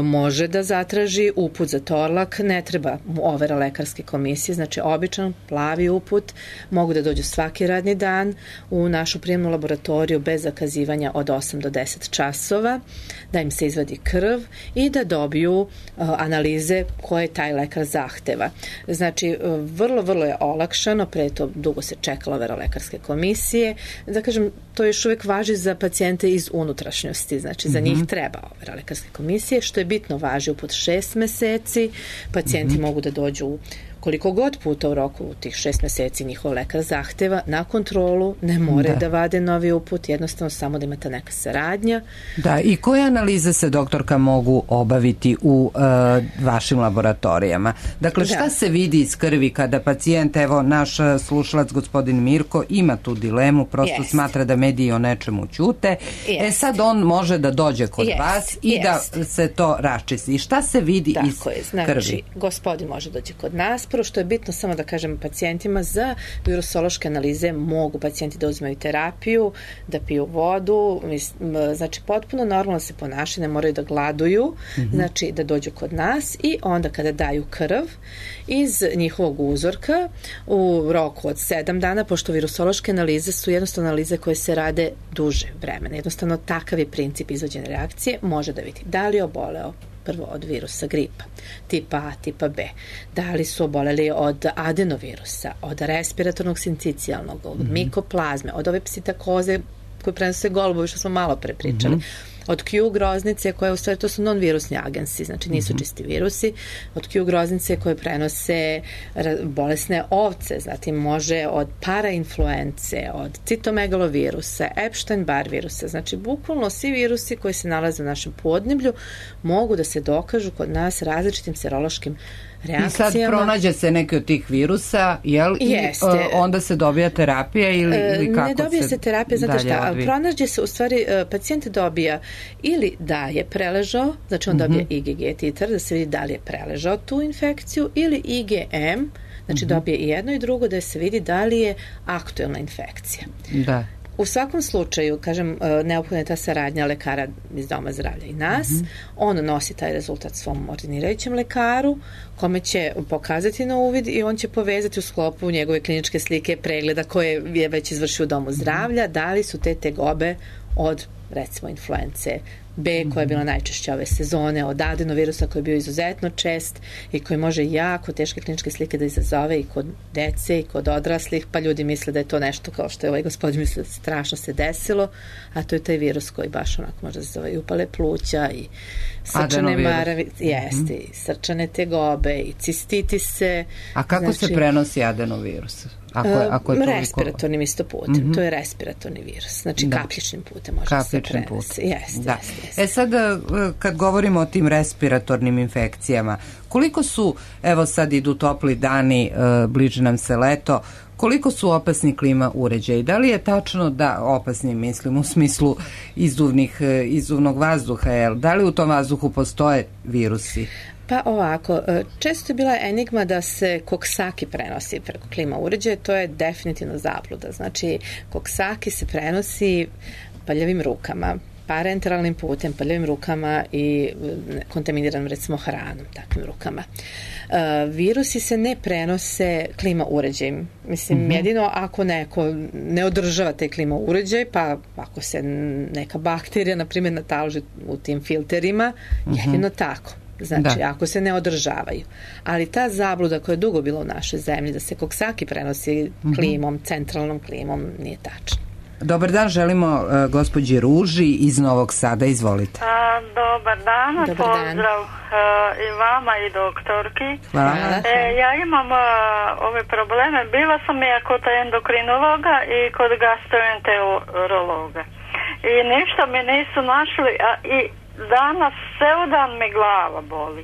može da zatraži uput za Torlak, ne treba mu overa lekarske komisije, znači običan plavi uput, mogu da dođu svaki radni dan u našu prijemnu laboratoriju bez zakazivanja od osam do deset časova, da im se izvadi krv i da dobiju uh, analize koje taj lekar zahteva. Znači, uh, vrlo, vrlo je olakšano, pre to dugo se čekala overa lekarske komisije, da kažem, to još uvek važi za pacijente iz unutrašnjosti, znači za mm-hmm. njih treba overa lekarske komisije, što je bitno važi uput šest meseci, pacijenti mm-hmm. mogu da dođu u koliko god puta u roku u tih šest meseci njihov lekar zahteva na kontrolu, ne more da, da vade novi uput, jednostavno samo da ima ta neka saradnja. Da, i koje analize se, doktorka, mogu obaviti u uh, vašim laboratorijama? Dakle, šta da. se vidi iz krvi kada pacijent, evo, naš slušalac, gospodin Mirko, ima tu dilemu, prosto jest. smatra da mediji o nečemu ćute. Jest. E sad on može da dođe kod jest. vas i jest. da se to raščisti. Šta se vidi Tako iz je. Znači, krvi? Gospodin može doći kod nas. Prvo što je bitno samo da kažem pacijentima, za virusološke analize mogu pacijenti da uzmaju terapiju, da piju vodu, znači potpuno normalno se ponašaju, ne moraju da gladuju, mm-hmm. znači da dođu kod nas i onda kada daju krv iz njihovog uzorka u roku od sedam dana, pošto virusološke analize su jednostavno analize koje se rade duže vremena. Jednostavno takav je princip izvođene reakcije, može da vidi da li je oboleo prvo od virusa gripa, tipa A, tipa B, da li su oboleli od adenovirusa, od respiratornog sincicijalnog, od mm-hmm. mikoplazme, od ove psitakoze koje prenose golubovi, što smo malo pre pričali, mm-hmm. od Q groznice koje u stvari to su non-virusni agensi, znači nisu mm-hmm. čisti virusi, od Q groznice koje prenose bolesne ovce, zatim može od parainfluence, od citomegalovirusa, Epstein-Barr virusa, znači bukvalno svi virusi koji se nalaze u našem podneblju mogu da se dokažu kod nas različitim serološkim reakcijama. I sad pronađe se neki od tih virusa, jel? Jeste. I onda se dobija terapija ili, ili kako se ne dobija se, se terapija, znate šta, odvi? pronađe se, u stvari, pacijent dobija ili da je preležao, znači on dobija mm-hmm. I G G titar, da se vidi da li je preležao tu infekciju, ili I G M, znači mm-hmm. dobije i jedno i drugo, da se vidi da li je aktuelna infekcija. Da. U svakom slučaju, kažem, neophodna je ta saradnja lekara iz doma zdravlja i nas. Mm-hmm. On nosi taj rezultat svom ordinirajućem lekaru, kome će pokazati na uvid i on će povezati u sklopu njegove kliničke slike pregleda koje je već izvršio u domu zdravlja, mm-hmm. da li su te tegobe od, recimo, influence B, koja je bila najčešća ove sezone, od adenovirusa koji je bio izuzetno čest i koji može jako teške kliničke slike da izazove i kod dece i kod odraslih, pa ljudi misle da je to nešto kao što je ovaj gospodin misle strašno se desilo, a to je taj virus koji baš onako može da zove i upale pluća i srčane maravi, jeste, mm-hmm. i srčane tegobe i cistitise. A kako znači, se prenosi adenovirus? Ako je, ako je toliko... Respiratornim isto putem. Mm-hmm. To je respiratorni virus. Znači da. kapljičnim putem može kapljičnim se prenesi. Jeste, da. jeste, jeste. E sad, kad govorimo o tim respiratornim infekcijama, koliko su, evo sad idu topli dani, bliže nam se leto, koliko su opasni klima uređaji? Da li je tačno da, opasni mislim u smislu izduvnih, izduvnog vazduha, jel? Da li u tom vazduhu postoje virusi? Pa ovako, često je bila enigma da se koksaki prenosi preko klima uređaja, to je definitivno zabluda. Znači, koksaki se prenosi paljavim rukama, parenteralnim putem, paljavim rukama i kontaminiranom, recimo, hranom, takvim rukama. Uh, virusi se ne prenose klima uređajem. Mislim, mm-hmm. jedino ako neko ne održava taj klima uređaj, pa ako se neka bakterija, na primjer, nataloži u tim filterima, mm-hmm. jedino tako. Znači, da. ako se ne održavaju. Ali ta zabluda koja je dugo bila u našoj zemlji, da se koksaki prenosi klimom, mm-hmm. centralnom klimom, nije tačno. Dobar dan, želimo uh, gospođi Ruži iz Novog Sada, izvolite. A, dobar dan, dobar pozdrav dan. Uh, i vama i doktorki. Hvala. E, ja imam uh, ove probleme, bila sam ja kod endokrinologa i kod gastroenterologa. I ništa mi nisu našli, a i danas ceo dan mi glava boli.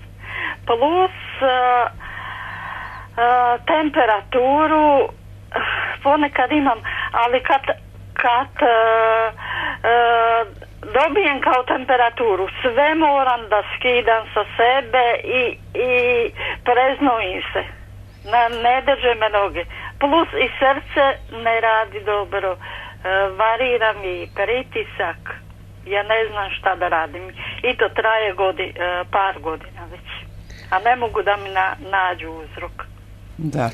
Plus uh, uh, temperaturu ponekad imam, ali kad kad uh, uh, dobijem kao temperaturu, sve moram da skidam sa sebe i, i preznojim se. Na, ne drže me noge. Plus i srce ne radi dobro. Uh, varira mi pritisak. Ja ne znam šta da radim. I to traje godi, uh, par godina već. A ne mogu da mi na, nađu uzrok. Da.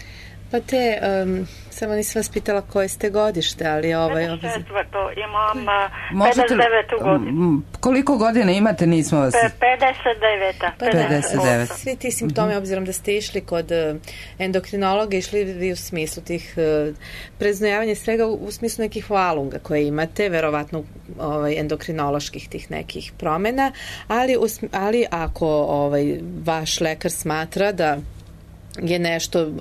Pa te, um, samo nisam vas pitala koje ste godište, ali ovaj... Četvrto, imam uh, pedeset devetu godinu. Koliko godina imate, nismo vas... pedeset deveta. Pa pedeset devet. Da, svi ti simptomi, mm-hmm. obzirom da ste išli kod uh, endokrinologa, išli vi u smislu tih uh, preznojavanja svega u, u smislu nekih valunga koje imate, verovatno ovaj, endokrinoloških tih nekih promena, ali, u, ali ako ovaj, vaš lekar smatra da je nešto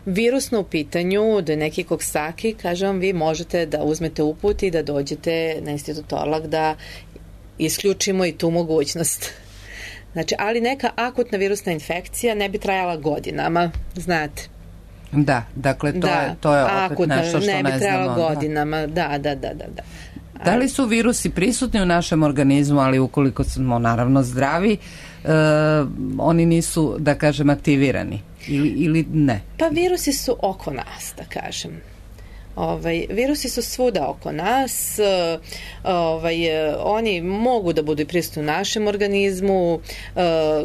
virusno u pitanju, da je neki Coxsackie, kažem, vi možete da uzmete uput i da dođete na Institut Torlak da isključimo i tu mogućnost. Znači, ali neka akutna virusna infekcija ne bi trajala godinama, znate. Da, dakle, to, da, je, to je opet akutna, nešto što ne, ne bi trajala znamo. godinama, da, da, da, da. Da, da li su virusi prisutni u našem organizmu, ali ukoliko smo naravno zdravi, e, oni nisu, da kažem, aktivirani ili, ili ne? Pa virusi su oko nas, da kažem. Ovaj, virusi su svuda oko nas, ovaj, oni mogu da budu i prisutni u našem organizmu,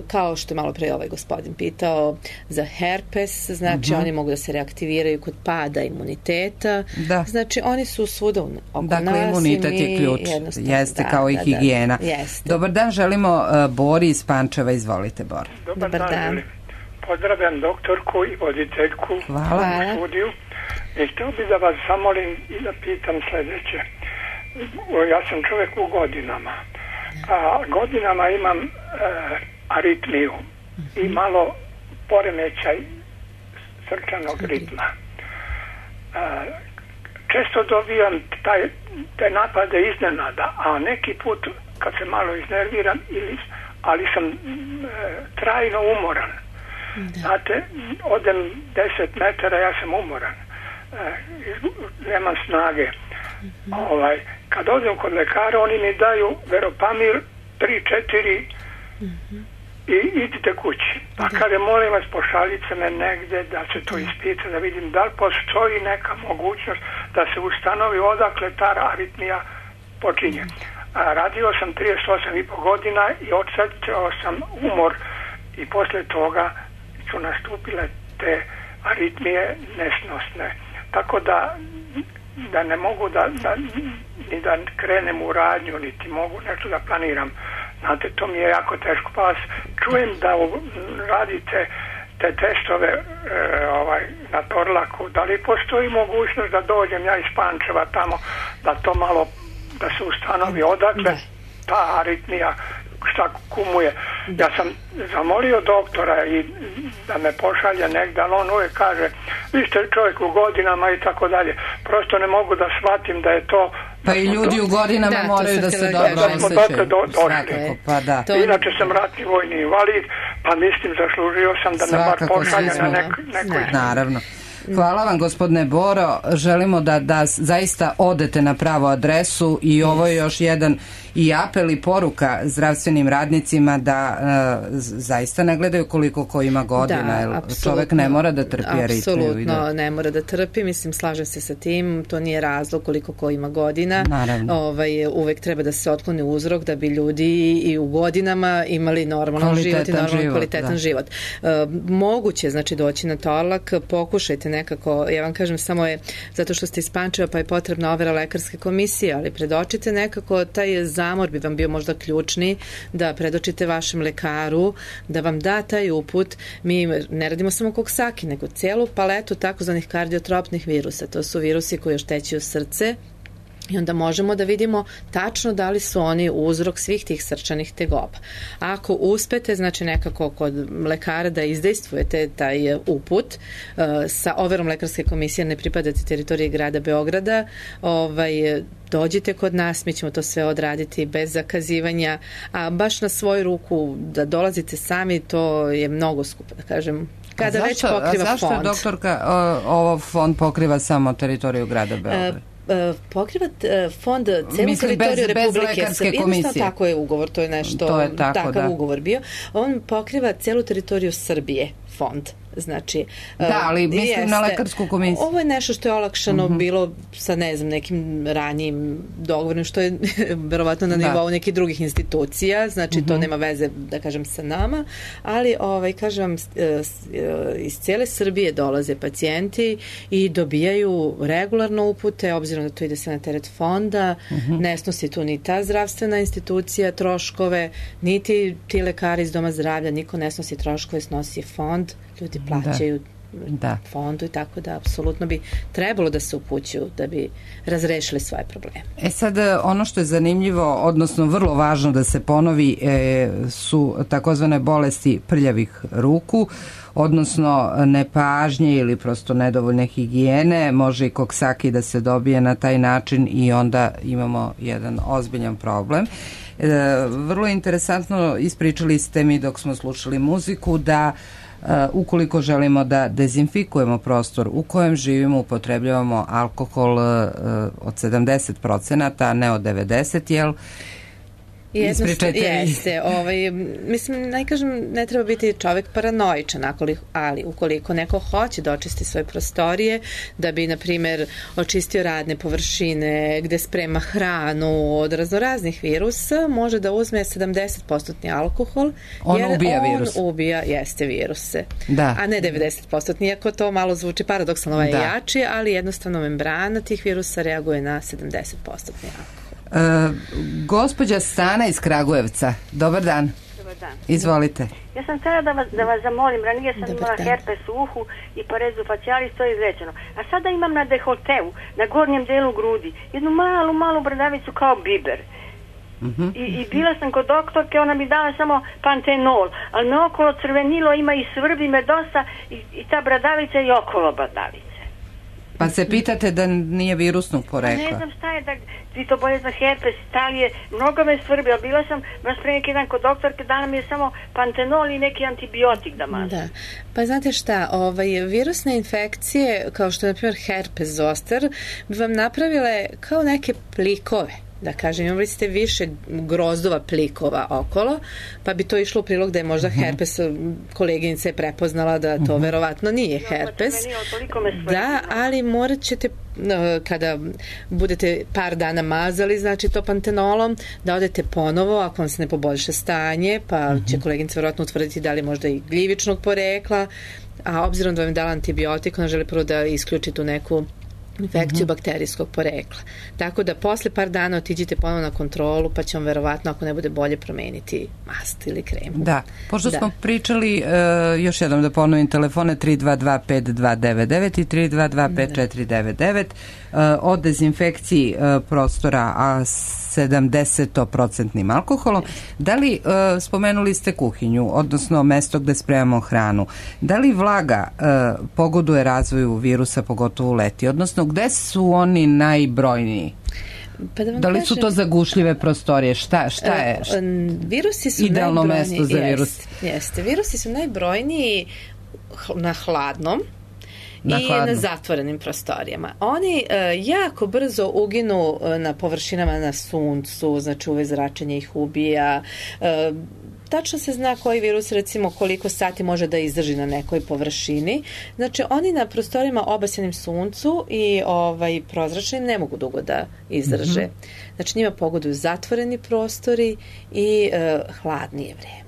kao što je malo pre ovaj gospodin pitao za herpes, znači uh-huh. oni mogu da se reaktiviraju kod pada imuniteta, da. Znači oni su svuda oko dakle, nas. Dakle, imunitet je ključ, jeste da, kao i da, higijena. Da, jeste. Dobar dan, želimo uh, Bori iz Pančeva, izvolite Bor. Dobar, Dobar dan. dan. Pozdravljam doktorku i voditeljku Hvala. u studiju. I htio bi da vas zamolim i da pitam sljedeće. Ja sam čovjek u godinama. A godinama imam e, aritmiju i malo poremećaj srčanog ritma. E, često dobijam taj, te napade iznenada, a neki put kad se malo iznerviram, ili, ali sam e, trajno umoran. Da. Znate, odem deset metara, ja sam umoran. Nemam snage. Mm-hmm. Ovaj, kad odem kod lekara, oni mi daju Veropamil tri četiri mm-hmm. i idite kući. Pa da. Kada molim vas, pošaljite me negde da se to ispita, da vidim da li postoji neka mogućnost da se ustanovi odakle ta aritmija počinje. A, radio sam trideset osam i po godina i odsjećao sam umor i posle toga su nastupile te aritmije nesnosne. Tako da, da ne mogu da, da, ni da krenem u radnju, niti mogu nešto da planiram. Znate, to mi je jako teško. Pa vas čujem da radite te testove e, ovaj, na Torlaku. Da li postoji mogućnost da dođem ja iz Pančeva tamo, da to malo, da se ustanovi odakle ta aritmija, šta kumuje. Ja sam zamolio doktora i da me pošalje negdje, ali on uvijek kaže, vi ste čovjek u godinama i tako dalje. Prosto ne mogu da shvatim da je to... Pa i ljudi u godinama da, moraju da se dobro osjećaju. Do, došli. Pa da. Inače sam ratni vojni invalid, pa mislim zaslužio sam da me bar pošalje na nek, nekoj... Naravno. Hvala vam, gospodine Boro. Želimo da, da zaista odete na pravu adresu i ovo je još jedan i apel i poruka zdravstvenim radnicima da uh, zaista ne gledaju koliko ko ima godina. Da, čovek ne mora da trpi aritmiju. Apsolutno ne mora da trpi. Mislim, slažem se sa tim. To nije razlog koliko ko ima godina. Naravno. Ovaj, uvek treba da se otkloni uzrok da bi ljudi i u godinama imali normalan život i normalan život, kvalitetan da. život. Uh, moguće, znači, doći na Torlak, pokušajte nekako, ja vam kažem, samo je zato što ste iz Pančeva pa je potrebna overa lekarske komisije, ali predočite nekako taj zamor bi vam bio možda ključni, da predočite vašem lekaru, da vam da taj uput. Mi ne radimo samo Coxsackie, nego celu paletu takozvanih kardiotropnih virusa. To su virusi koji oštećuju srce, i onda možemo da vidimo tačno da li su oni uzrok svih tih srčanih tegoba. Ako uspete, znači nekako kod lekara da izdejstvujete taj uput uh, sa overom lekarske komisije, ne pripadate teritoriji grada Beograda, ovaj, dođite kod nas, mi ćemo to sve odraditi bez zakazivanja, a baš na svoju ruku da dolazite sami, to je mnogo skupo, da kažem. Kada zašto, već pokriva zašto fond. Zašto, doktorka, ovo fond pokriva samo teritoriju grada Beograda? Uh, pokriva fond celu Mislim, teritoriju bez, Republike bez lekarske komisije. Tako je ugovor, to je nešto, to je tako, takav da. ugovor bio. On pokriva celu teritoriju Srbije, fond. Znači, da, ali mislim jeste, na lekarsku komisiju. Ovo je nešto što je olakšano uh-huh. bilo sa, ne znam, nekim ranijim dogovorom, što je verovatno na nivou nekih drugih institucija, znači uh-huh. to nema veze, da kažem, sa nama, ali, ovaj, kažem, iz cijele Srbije dolaze pacijenti i dobijaju regularno upute, obzirom da to ide sve na teret fonda, uh-huh. ne snosi tu ni ta zdravstvena institucija troškove, niti ti lekari iz doma zdravlja, niko ne snosi troškove, snosi fond, ljudi plaćaju da. fondu i tako da apsolutno bi trebalo da se upućuju da bi razrešili svoje probleme. E sad, ono što je zanimljivo, odnosno vrlo važno da se ponovi, e, su takozvane bolesti prljavih ruku, odnosno nepažnje ili prosto nedovoljne higijene, može i koksaki da se dobije na taj način i onda imamo jedan ozbiljan problem. E, vrlo interesantno ispričali ste mi dok smo slušali muziku da Uh, ukoliko želimo da dezinfikujemo prostor u kojem živimo, upotrebljavamo alkohol uh, od sedamdeset procenata, a ne od devedeset, jel? Ispričajte. Jeste, ovaj, mislim, ne kažem, ne treba biti čovek paranoičan, ali ukoliko neko hoće da očisti svoje prostorije, da bi, na primjer, očistio radne površine, gde sprema hranu od raznoraznih virusa, može da uzme sedamdeset posto alkohol, on jer ubija on virus. ubija, jeste, viruse. Da. A ne devedeset posto, iako to malo zvuči paradoksalno, ovaj je jači, ali jednostavno membrana tih virusa reaguje na sedamdeset posto alkohol. Uh, gospođa Stana iz Kragujevca, dobar dan. Dobar dan. Izvolite. Ja sam htjela da vas, da vas zamolim, ranije sam dobar imala dan. herpes u uhu i parezu facialis, to je izrečeno. A sada imam na dekolteu, na gornjem delu grudi, jednu malu, malu bradavicu kao biber. Uh-huh. I, I bila sam kod doktorke, ona mi dala samo pantenol, ali me okolo crvenilo, ima i svrbi me dosta i, i ta bradavica i okolo bradavice. Pa se pitate da nije virusnog porekla? Ne znam šta je, da ti to bolje za herpes, talije, mnogo me svrbi, ali bila sam baš pre neki dan kod doktorke, dala mi je samo pantenol i neki antibiotik da mažem. Da, pa znate šta, ovaj, virusne infekcije, kao što je na primjer herpes zoster, bi vam napravile kao neke plikove. Da kažem, imali ste više grozdova plikova okolo, pa bi to išlo u prilog da je možda herpes, koleginica je prepoznala da to verovatno nije herpes. Da, ali morat ćete, kada budete par dana mazali, znači to pantenolom, da odete ponovo, ako vam se ne poboljša stanje, pa će koleginica verovatno utvrditi da li možda i gljivičnog porekla, a obzirom da vam je dala antibiotik, ona želi prvo da isključi tu neku infekciju uh-huh. bakterijskog porekla. Tako da posle par dana otiđite ponovno na kontrolu, pa će vam verovatno, ako ne bude bolje, promeniti mast ili kremu. Da, pošto da. smo pričali, uh, još jednom da ponovim telefone tri dva dva pet dva devet devet i tri dva dva pet četiri devet devet uh, o dezinfekciji uh, prostora, a sedamdeset procenat alkoholom. Da li, uh, spomenuli ste kuhinju, odnosno mesto gde spremamo hranu, da li vlaga uh, pogoduje razvoju virusa, pogotovo leti, odnosno gde su oni najbrojniji? Pa da, da li kažem, su to zagušljive prostorije? Šta, šta je? Uh, virusi su idealno mesto za virus? Jeste, jeste. Virusi su najbrojniji na hladnom na i hladnom. na zatvorenim prostorijama. Oni uh, jako brzo uginu uh, na površinama na suncu, znači uve zračenje ih ubija. Uh, tačno se zna koji virus, recimo koliko sati može da izdrži na nekoj površini. Znači oni na prostorijama obasenim suncu i ovaj prozračnim ne mogu dugo da izdrže. Mm-hmm. Znači njima pogoduju zatvoreni prostori i uh, hladnije vreme.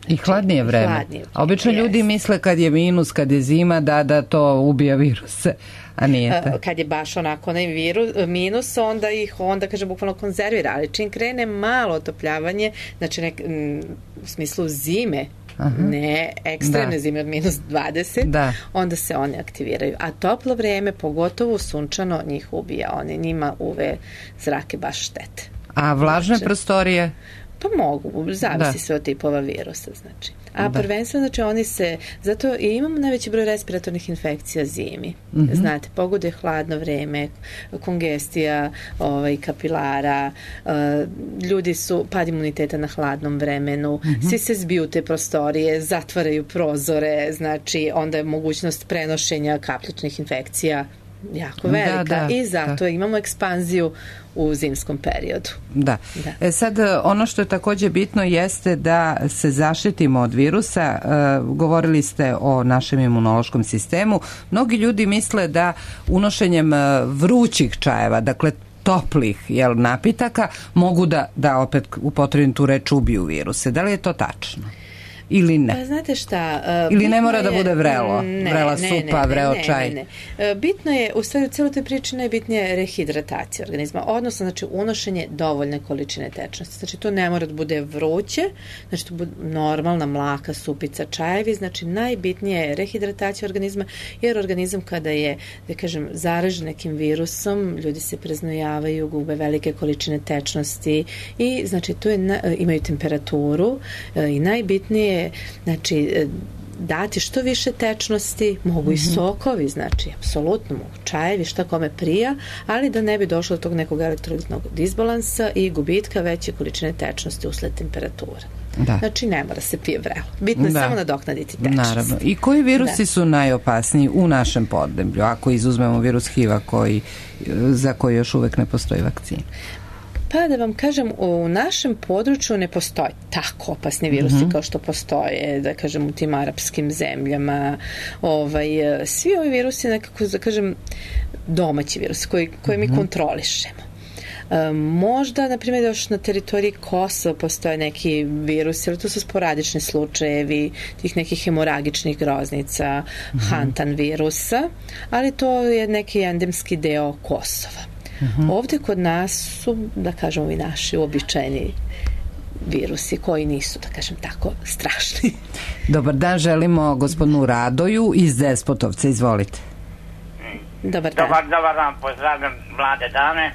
I hladnije vreme. Hladnije vreme. A obično yes. ljudi misle kad je minus, kad je zima, da da to ubija viruse, a nije to. Kad je baš onako onaj virus, minus, onda ih, onda kaže bukvalno konzervira, ali čim krene malo otopljavanje, znači nek, m, u smislu zime, aha. ne ekstremne da. zime od minus dvadeset, da. onda se one aktiviraju. A toplo vreme, pogotovo sunčano, njih ubija. One njima uve zrake baš štete. A vlažne znači, prostorije? Pa mogu, zavisi da. sve od tipova virusa, znači. A da. prvenstveno, znači, oni se, zato i imamo najveći broj respiratornih infekcija zimi. Mm-hmm. Znate, pogode hladno vreme, kongestija, ovaj, kapilara, uh, ljudi su, pad imuniteta na hladnom vremenu, mm-hmm. svi se zbiju te prostorije, zatvaraju prozore, znači, onda je mogućnost prenošenja kapljičnih infekcija jako velika da, da, i zato da. imamo ekspanziju u zimskom periodu. Da. da. E sad, ono što je takođe bitno jeste da se zaštitimo od virusa. E, govorili ste o našem imunološkom sistemu. Mnogi ljudi misle da unošenjem vrućih čajeva, dakle toplih jel, napitaka, mogu da, da opet upotrebim tu reč ubiju viruse. Da li je to tačno? ili ne? Pa znate šta... Uh, ili ne mora je, da bude vrelo? Ne, vrela ne, supa, ne, vreo ne, čaj? Ne, ne. Uh, bitno je, u stvari u cijeloj toj priči najbitnije je rehidratacija organizma, odnosno znači unošenje dovoljne količine tečnosti. Znači to ne mora da bude vruće, znači to bude normalna mlaka supica, čajevi, znači najbitnije je rehidratacija organizma, jer organizam kada je, da kažem, zaražen nekim virusom, ljudi se preznojavaju, gube velike količine tečnosti i znači to je, na, imaju temperaturu i najbitnije je, znači, dati što više tečnosti, mogu i sokovi, znači, apsolutno mogu čajevi, šta kome prija, ali da ne bi došlo do tog nekog elektrolitnog disbalansa i gubitka veće količine tečnosti usled temperature. Da. Znači, ne mora se pije vrelo. Bitno je da. samo nadoknaditi tečnost. Naravno. I koji virusi da. su najopasniji u našem podneblju, ako izuzmemo virus H I V-a koji, za koji još uvek ne postoji vakcina? Pa da vam kažem, u našem području ne postoji tako opasni virusi mm-hmm. kao što postoje, da kažem, u tim arapskim zemljama. Ovaj, svi ovi virusi nekako, da kažem, domaći virusi koji, koje mm-hmm. mi kontrolišemo. E, možda, na primjer, još na teritoriji Kosova postoje neki virusi, ali to su sporadični slučajevi tih nekih hemoragičnih groznica, mm-hmm. Hantan virusa, ali to je neki endemski deo Kosova. Uh-huh. Ovdje kod nas su, da kažemo, i naši uobičajeni virusi koji nisu, da kažem tako, strašni. Dobar dan, želimo gospodinu Radoju iz Despotovca, izvolite. Dobar dan. Dobar, dobar dan, pozdravljam mlade dame.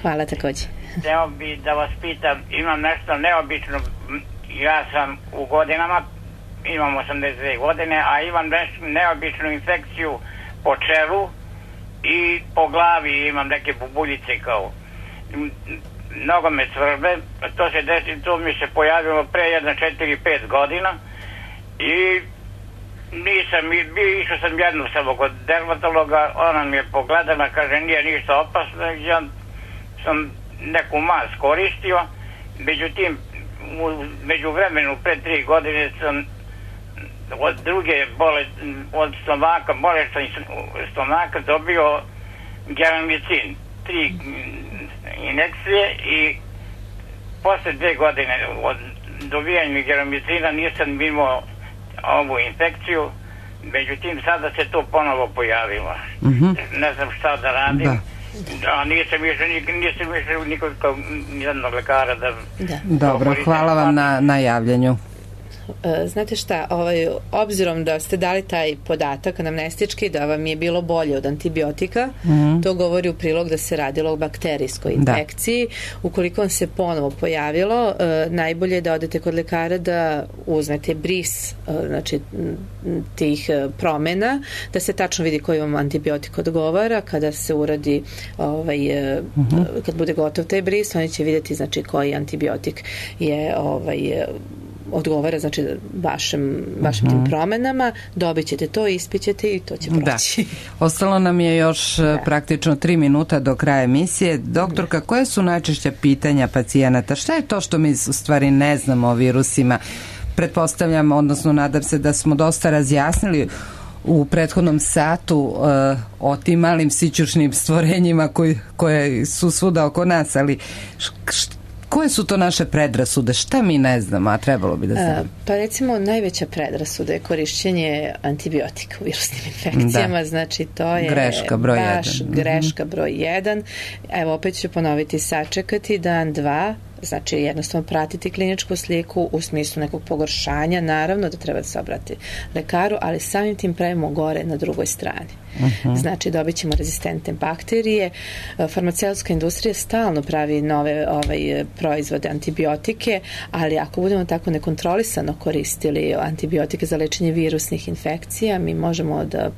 Hvala također. Hteo bi da vas pitam, imam nešto neobično, ja sam u godinama, imam osamdeset dve godine, a imam nešto neobičnu infekciju po čelu i po glavi, imam neke bubuljice kao, mnogo me svrbe, to se desi, to mi se pojavilo pre jedno četiri pet godina i nisam, bio, išao sam jednu samo kod dermatologa, ona mi je pogledala, kaže nije ništa opasno, ja sam neku mas koristio, međutim, među vremenu pre tri godine sam od druge bolesti, od stomaka, bolesti stomaka dobio geramicin, tri injekcije i posle dve godine od dobijanja geramicina nisam imao ovu infekciju, međutim sada se to ponovo pojavilo. Mm-hmm. Ne znam šta da radim. Da. A nisam išao nisam išao nikog nijednog lekara da... da. Dobro, hvala vam na, na javljanju. Znate šta, ovaj, obzirom da ste dali taj podatak anamnestički da vam je bilo bolje od antibiotika, mm-hmm. to govori u prilog da se radilo o bakterijskoj infekciji. Da. Ukoliko vam se ponovo pojavilo, eh, najbolje je da odete kod lekara da uzmete bris, eh, znači tih promena, da se tačno vidi koji vam antibiotik odgovara. Kada se uradi ovaj, eh, mm-hmm. kad bude gotov taj bris, oni će vidjeti znači koji antibiotik je ovaj odgovara znači vašem, vašim uh-huh. tim promenama, dobit ćete to, ispićete i to će proći. Da. Ostalo nam je još da. praktično tri minuta do kraja emisije. Doktorka, da. koje su najčešća pitanja pacijenata? Šta je to što mi u stvari ne znamo o virusima? Pretpostavljam, odnosno nadam se da smo dosta razjasnili u prethodnom satu uh, o tim malim sićušnim stvorenjima koji, koje su svuda oko nas, ali š, koje su to naše predrasude? Šta mi ne znamo, a trebalo bi da znamo? Pa recimo najveća predrasuda je korišćenje antibiotika u virusnim infekcijama, da. znači to je greška broj baš jedan. greška broj jedan. Evo opet ću ponoviti, sačekati dan, dva, znači jednostavno pratiti kliničku sliku u smislu nekog pogoršanja, naravno da treba da se obrati lekaru, ali samim tim pravimo gore na drugoj strani. Uh-huh. Znači dobit ćemo rezistentne bakterije. Farmaceutska industrija stalno pravi nove ovaj, proizvode, antibiotike, ali ako budemo tako nekontrolisano koristili antibiotike za lečenje virusnih infekcija, mi možemo da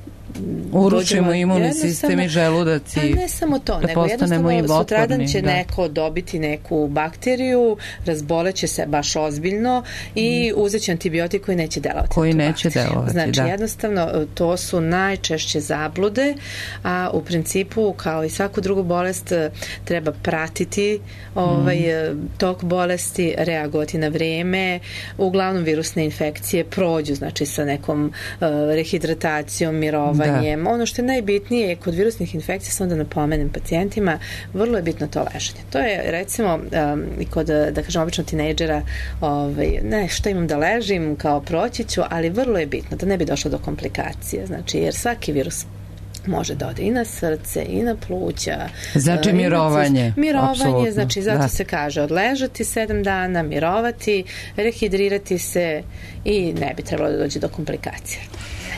uručimo imunni sistem i želudac i ne samo to, da nego jednostavno sutradan će da. neko dobiti neku bakteriju, razboleće se baš ozbiljno i mm. uzet će antibiotik koji neće delovati. Koji neće delovati, znači, da. jednostavno, to su najčešće zablude, a u principu, kao i svaku drugu bolest, treba pratiti ovaj, mm. tok bolesti, reagovati na vreme. Uglavnom, virusne infekcije prođu, znači, sa nekom uh, rehidratacijom, mirovom, mirovanjem. Da. Ono što je najbitnije kod virusnih infekcija, sam da napomenem pacijentima, vrlo je bitno to leženje. To je recimo um, i kod, da kažem, obično tinejdžera, ovaj, ne, što imam da ležim, kao proći ću, ali vrlo je bitno da ne bi došlo do komplikacije. Znači, jer svaki virus može da ode i na srce, i na pluća. Znači mirovanje. Mirovanje, apsolutno. Znači zato da. se kaže odležati sedam dana, mirovati, rehidrirati se i ne bi trebalo da dođe do komplikacija.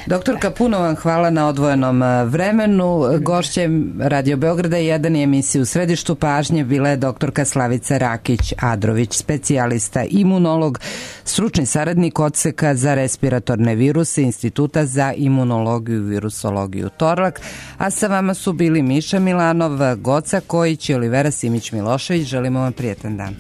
Doktorka, puno vam hvala na odvojenom vremenu. Gošće Radio Beograda jedan je emisija U središtu pažnje bila je doktorka Slavica Rakić-Adrović, specijalista imunolog, stručni saradnik odseka za respiratorne viruse Instituta za imunologiju i virusologiju Torlak, a sa vama su bili Miša Milanov, Goca Kojić i Olivera Simić-Milošević. Želimo vam prijetan dan.